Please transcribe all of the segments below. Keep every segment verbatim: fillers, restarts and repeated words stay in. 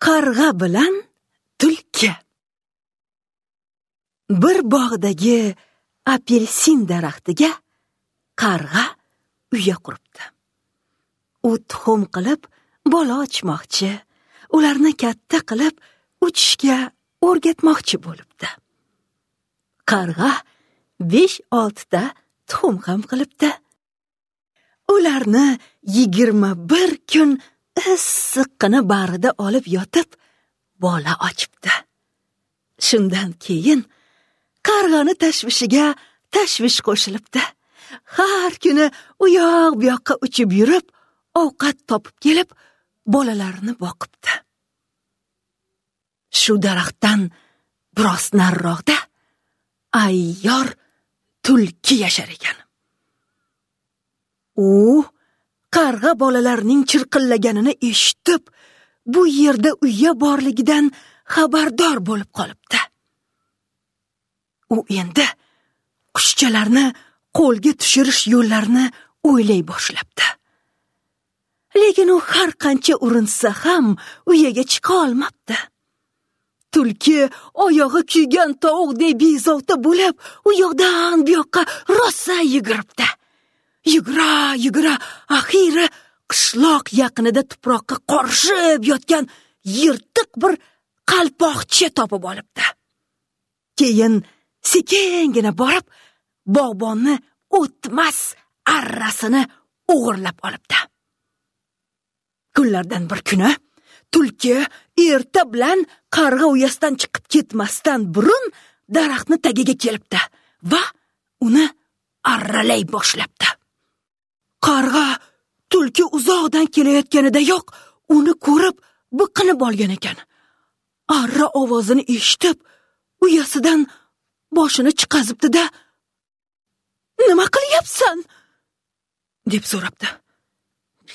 Qarg'a bilan tulki. Bir bog'dagi apelsin daraxtiga qarg'a uya quribdi. U tuxum qilib bola ochmoqchi, ularni katta qilib uchishga o'rgatmoqchi bo'libdi. Qarg'a besh oltita tuxum ham qilibdi. Ularni yigirma bir kun issiqqina bag'rida olib yotib bola ochibdi. Shundan keyin qarg'ani tashvishiga tashvish qo'shilibdi. Har kuni u yoq bu yoqqa uchib yurib, ovqat topib kelib, bolalarini boqibdi. Shu daraxtdan biroz nariroqda ayyor tulki yashar ekan. U qarg'a bolalarining chirqillaganini eshitib, bu yerda uya borligidan xabardor bo'lib qolibdi. U endi qushchalarni qo'lga tushirish yo'llarini o'ylay boshlabdi. Lekin u har qancha urinsa ham uyaga chiqa olmabdi. Tulki oyog'i kuygan tovuqdek bezovta bo'lib, u yoqdan bu yoqqa rosa yuguribdi. Yugura, yugura, axiri qishloq yaqinida tuproqqa qorishib yotgan yirtiq bir qalpoqcha topib olibdi. Keyin sekingina borib, bog'bonni o'tmas arrasini o'g'irlab olibdi. Kunlardan bir kuni tulki erta bilan qarg'a uyasidan chiqib ketmasdan burun daraxtni tagiga kelibdi va uni arralay boshlabdi. Qarg'a tulki uzoqdan kelayotganida yo'q, uni ko'rib biqinib olgan ekan. Arra ovozini eshitib, uyasidan boshini chiqazibdi-da, "Nima qilyapsan?" deb so'rabdi.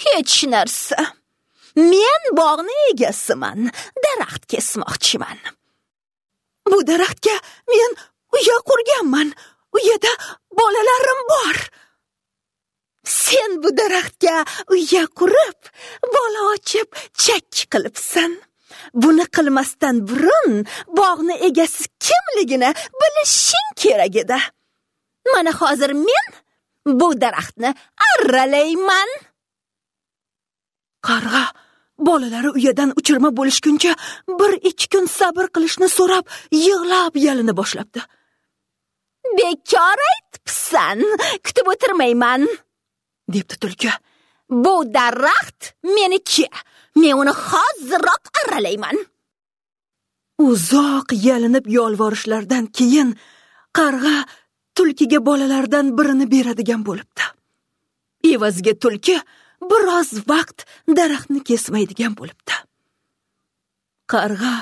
"Hech narsa. Men bog'ning egasiman, daraxt kesmoqchiman. Bu daraxtga men uya qurganman. Uyada bolalarim bor. Sen bu daraxtga uya qurib, bola ochib, chak qilibsan. Buni qilmasdan burun bog'ni egasi kimligini bilishing kerak edi. Mana hozir men bu daraxtni arralayman." Qarg'a bolalari uyadan uchirma bo'lishguncha bir ikki kun sabr qilishni so'rab, yig'lab yalina boshlabdi. "Bekor aytibsan, kutib o'tirmayman," debdi tulki. "Bu daraxt meniki. Men uni hoziroq arralayman." Uzoq yalinib yolvorishlardan keyin qarg'a tulkiga bolalardan birini beradigan bo'libdi. Evaziga tulki biroz vaqt daraxtni kesmaydigan bo'libdi. Qarg'a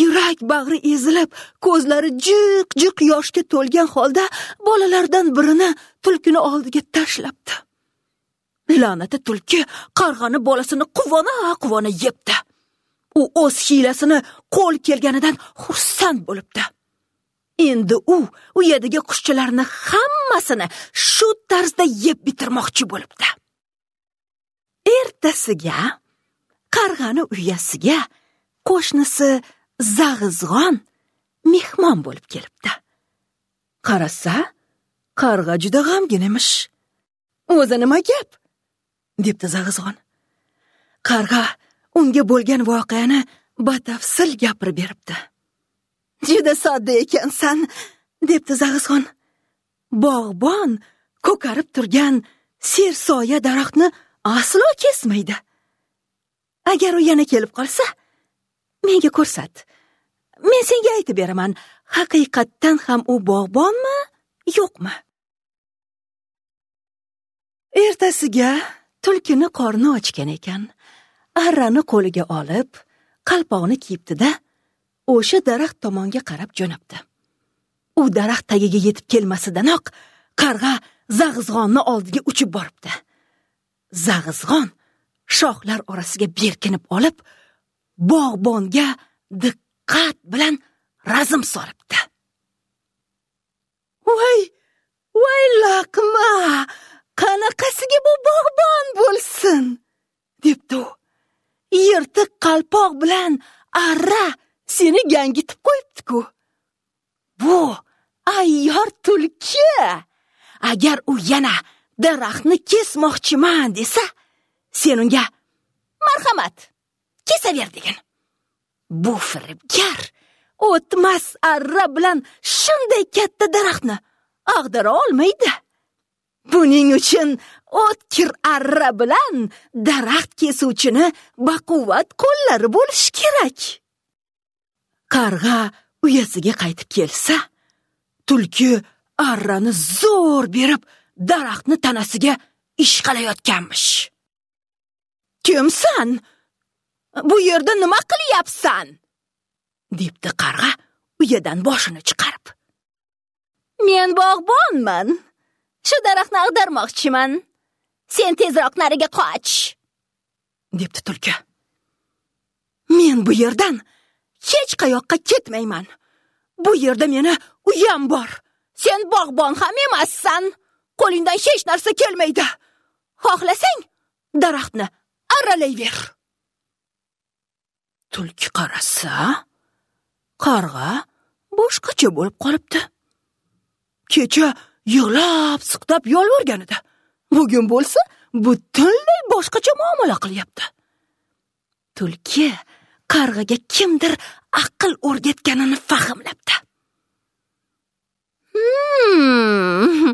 yurak bag'ri ezilib, ko'zlari jiq-jiq yoshga to'lgan holda bolalardan birini tulkini oldiga tashlabdi. La'nati tulki qarg'ani bolasini quvona-quvona yebdi. U o'z hiylasini qo'l kelganidan xursand bo'libdi. Endi u uyadagi qushchalarni hammasini shu tarzda yeb bitirmoqchi bo'libdi. Ertasiga qarg'ani uyasiga qo'shnisi Zag'izg'on mehmon bo'lib kelibdi. Qarasa, qarg'a juda g'amgin emish. "O'zi nima gap?" debdi Zag'izg'on. Qarg'a unga bo'lgan voqeani batafsil gapirib beribdi. "Juda sodda ekansan," debdi Zag'izg'on. "Bog'bon ko'karib turgan sersoya daraxtni aslo kesmaydi. Agar u yana kelib qolsa, menga ko'rsat. Men senga aytib beraman, haqiqatdan ham u bog'bonmi, yo'qmi?" Ertasiga tulkini qorni ochgan ekan. Arrani qo'liga olib, qalpoqni kiyibdi-da, o'sha daraxt tomonga qarab jo'nabdi. U daraxt tagiga yetib kelmasidanoq qarg'a Zag'izg'onni oldiga uchib boribdi. Zag'izg'on shoxlar orasiga berkinib olib, bog'bonga diqqat bilan razm solibdi. "Voy, voy laqma, qanaqasiga bu bog'bon bo'lsin?" debdi u. Yirtiq qalpoq bilan arra seni gangitib qo'yibdi-ku. Bu ayyor tulki. Agar u yana daraxtni kesmoqchiman desa, sen unga marhamat, kesaver degin. Bu firibgar o'tmas arra bilan shunday katta daraxtni ag'dara olmaydi. Buning uchun o'tkir arra bilan daraxt kesuvchini baquvvat qo'llari bo'lishi kerak. Qarg'a uyasiga qaytib kelsa, tulki arrani zo'r berib daraxtni tanasiga ishqalayotganmish. Kimsan? Bu yerda nima qilyapsan? Debdi qarg'a uyadan boshini chiqarib. Men bog'bonman. Shu daraxtni ag'darmoqchiman. Sen tezroq nariga qoch, debdi tulki. Men bu yerdan hech qayoqqa ketmayman. Bu yerda meni uyam bor. Sen bog'bon ham emassan. Qo'lingdan hech narsa kelmaydi. Xohlasang daraxtni arralayver. Tulki qarasa, qarg'a boshqacha bo'lib qolibdi. Kecha yig'lab, siqtab yolvorgan edi. Bugun bo'lsa butunlay boshqacha muomala qilyapti. Tulki qarg'aga kimdir aql o'rgatganini fahmlabdi. Hmm,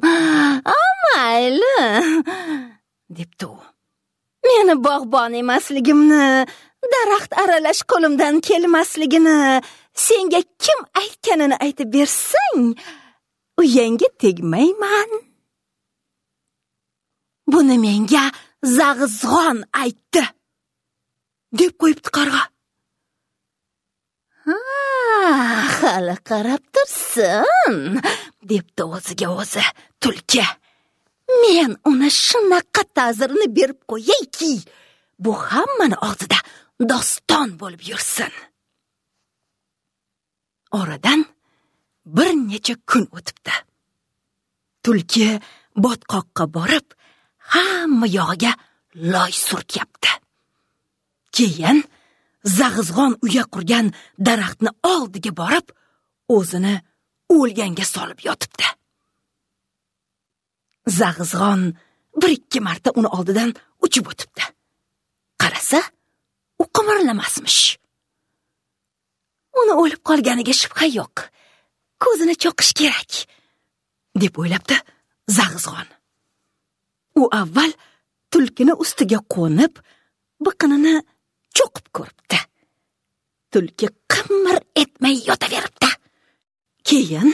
mayli, debdi u. Meni bog'bon emasligimni, daraxt aralash qo'limdan kelmasligini senga kim aytganini aytib bersang, uyangga tegmayman. Buni menga zag'izg'on aytdi, deb qo'yibdi qarg'a. Ha, hali qarab tursin, debdi o'ziga o'zi tulki. Men uni shunaqa ta'zirini berib qo'yayki, bu hammani oldida doston bo'lib yursin. Oradan bir necha kun o'tibdi. Tulki botqoqqa borib, hamma yog'iga loy surtyapti. Keyin zag'izg'on uya qurgan daraxtni oldiga borib, o'zini o'lganga solib yotibdi. Zag'izg'on bir ikki marta uni oldidan uchib o'tibdi. Qarasa, u qimirlamasmish. Uni o'lib qolganiga shubha yo'q. Ko'zini cho'qish kerak, deb o'ylabdi zag'izg'on. U avval tulkini ustiga qo'nib, biqinini cho'qib ko'ribdi. Tulki qimir etmay yotaveribdi. Keyin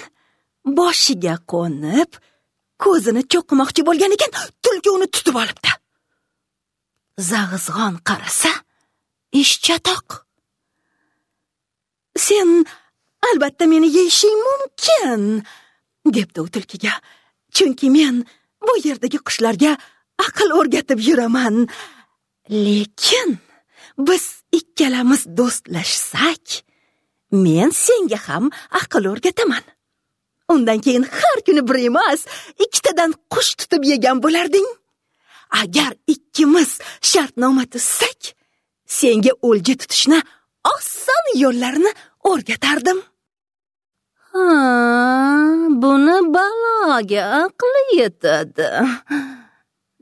boshiga qo'nib, ko'zini cho'qimoqchi bo'lgan ekan, tulki uni tutib olibdi. Zag'izg'on qarasa, ish chatoq. Sen albatta meni yeyishing mumkin, debdi u tulkiga. Chunki men bu yerdagi qushlarga aql o'rgatib yuraman. Lekin biz ikkalamiz do'stlashsak, men senga ham aql o'rgataman. Undan keyin har kuni bir emas, ikkitadan qush tutib yegan bo'larding. Agar ikkimiz shartnoma tuzsak, senga o'lja tutishni oson yo'llarini o'rgatardim. Ha, buni baloga aqli yetadi,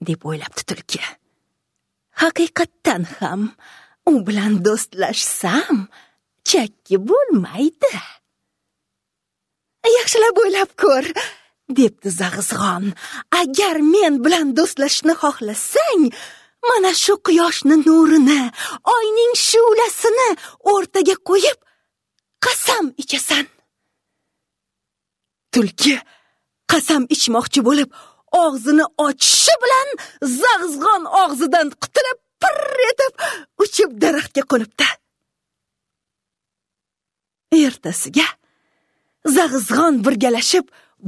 deb o'ylabdi tulki. Haqiqatdan ham u bilan do'stlashsam, chakki bo'lmaydi. Yaxshilab o'ylab ko'r, debdi zag'izg'on. Agar men bilan do'stlashishni xohlasang, mana shu quyoshni nurini, oyning shu'lasini o'rtaga qo'yib qasam ichasan. Tulki qasam ichmoqchi bo'lib, og'zini ochishi bilan zag'izg'on og'zidan qutulib, pir etib uchib daraxtga qo'nibdi. Ertasiga zag'izg'on birgalashib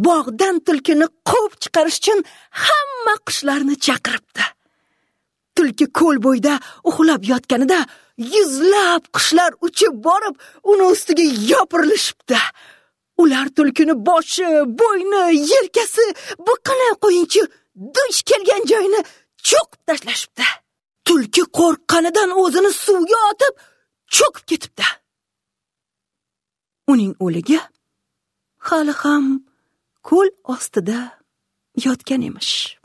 bog'dan tulkini quvib chiqarish uchun hamma qushlarni chaqiribdi. Tulki ko'l bo'yida uxlab yotganida yuzlab qushlar uchib borib, uni ustiga yopirilishibdi. Ular tulkini boshi, bo'yni, yelkasi, biqini qo'yinchi duch kelgan joyini cho'qib tashlashibdi. Tulki qo'rqqanidan o'zini suvga otib, cho'kib ketibdi. Uning o'ligi hali ham ko'l ostida yotgan emish.